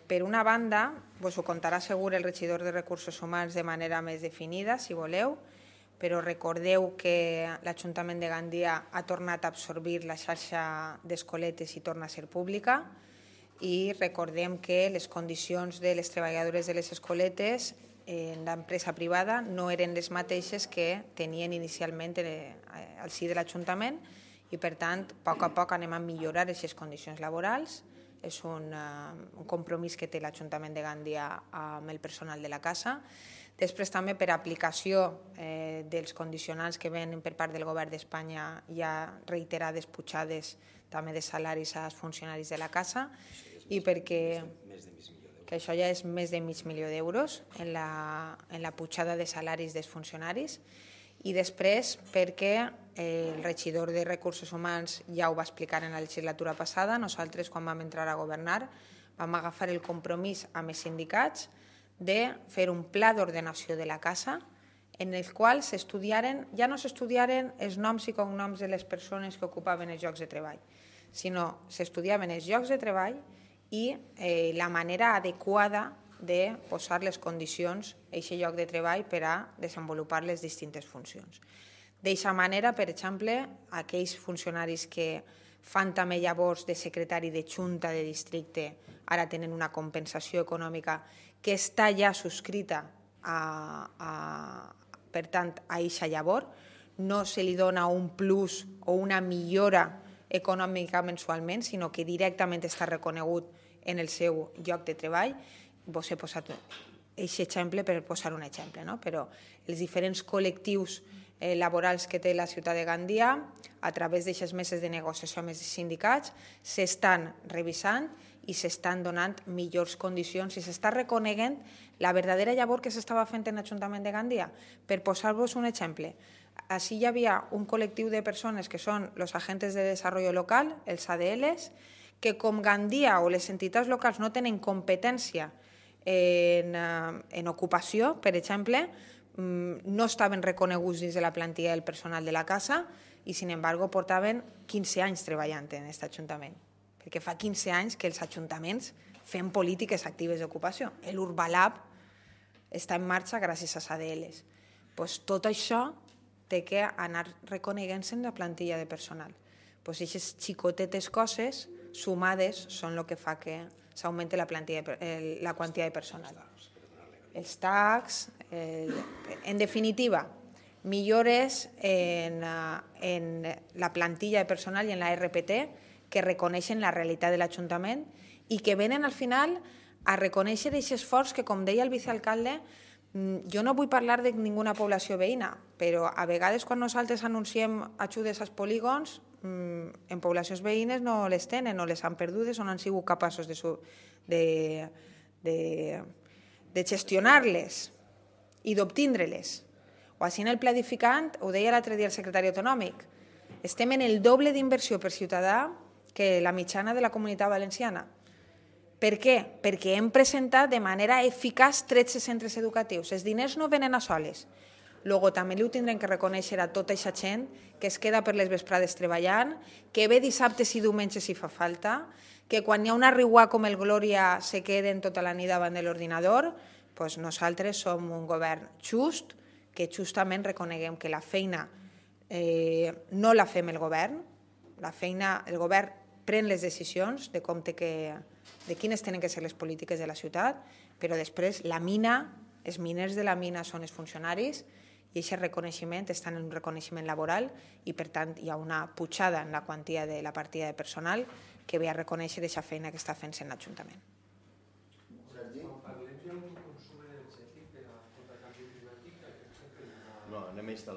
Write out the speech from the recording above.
Per una banda, us ho contarà segur el regidor de Recursos Humans de manera més definida, si voleu, però recordeu que l'Ajuntament de Gandia ha tornat a absorbir la xarxa d'escoletes i torna a ser pública, i recordem que les condicions de les treballadores de les escoletes en l'empresa privada no eren les mateixes que tenien inicialment al si de l'Ajuntament, i per tant, a poc anem a millorar aquestes condicions laborals. És un compromís que té l'Ajuntament de Gandia amb el personal de la casa. Després també per aplicació dels condicionants que venen per part del Govern d'Espanya hi ha reiterades pujades també de salaris als funcionaris de la casa, i perquè que això ja és més de $500.000 en la pujada de salaris dels funcionaris, i després perquè el regidor de Recursos Humans ja ho va explicar en la legislatura passada. Nosaltres, quan vam entrar a governar, vam agafar el compromís amb els sindicats de fer un pla d'ordenació de la casa en el qual ja no s'estudiaren els noms i cognoms de les persones que ocupaven els llocs de treball, sinó s'estudiaven els llocs de treball i la manera adequada de posar les condicions a aquest lloc de treball per a desenvolupar les distintes funcions. D'aquesta manera, per exemple, aquells funcionaris que fan també llavors de secretari de junta de districte ara tenen una compensació econòmica que està ja subscrita per tant a aquesta llavor. No se li dona un plus o una millora econòmica mensualment, sinó que directament està reconegut en el seu lloc de treball. Vos he posat aquest exemple per posar un exemple, però els diferents col·lectius laborals que té la ciutat de Gandia, a través d'aquestes meses de negociació amb els sindicats, s'estan revisant i s'estan donant millors condicions i s'està reconeguent la verdadera llavor que s'estava fent en l'Ajuntament de Gandia. Per posar-vos un exemple, així hi havia un col·lectiu de persones que són els agents de desenvolupament local, els ADLs, que com Gandia o les entitats locals no tenen competència en ocupació, per exemple, no estaven reconeguts dins de la plantilla del personal de la casa i, sin embargo, portaven 15 anys treballant en aquest Ajuntament, perquè fa 15 anys que els ajuntaments fem polítiques actives d'ocupació. L'Urbalab està en marxa gràcies als ADLs. Tot això té que anar reconeguent-se en la plantilla de personal. Aquestes xicotetes coses sumades són el que fa que s'augmenti la quantitat de personal. Els tags, en definitiva, millores en la plantilla de personal i en la RPT que reconeixen la realitat de l'Ajuntament i que venen al final a reconèixer aquest esforç que, com deia el vicealcalde, jo no vull parlar de ninguna població veïna, però a vegades quan nosaltres anunciem ajudes als polígons, en poblacions veïnes no les tenen o les han perdudes o no han sigut capaços de gestionar-les i d'obtindre-les. O així en el pla edificant, ho deia l'altre dia el secretari autonòmic, estem en el doble d'inversió per ciutadà que la mitjana de la Comunitat Valenciana. Per què? Perquè hem presentat de manera eficaç 13 centres educatius. Els diners no venen a soles. Luego també li ho tindrem que reconèixer a tota aquesta gent que es queda per les vesprades treballant, que ve dissabtes i diumenges si fa falta, que quan hi ha una riuà com el Glòria se queden tota la nit davant de l'ordinador. Nosaltres som un govern just, que justament reconeguem que la feina no la fem el govern, el govern pren les decisions de quines tenen que ser les polítiques de la ciutat, però després la mina, els miners de la mina són els funcionaris, i aquest reconeixement està en un reconeixement laboral i, per tant, hi ha una pujada en la quantia de la partida de personal que ve a reconèixer aquesta feina que està fent en l'Ajuntament. Quan parlem d'un consum energètic per a tot el canvi climàtic, no, anem a instal·lar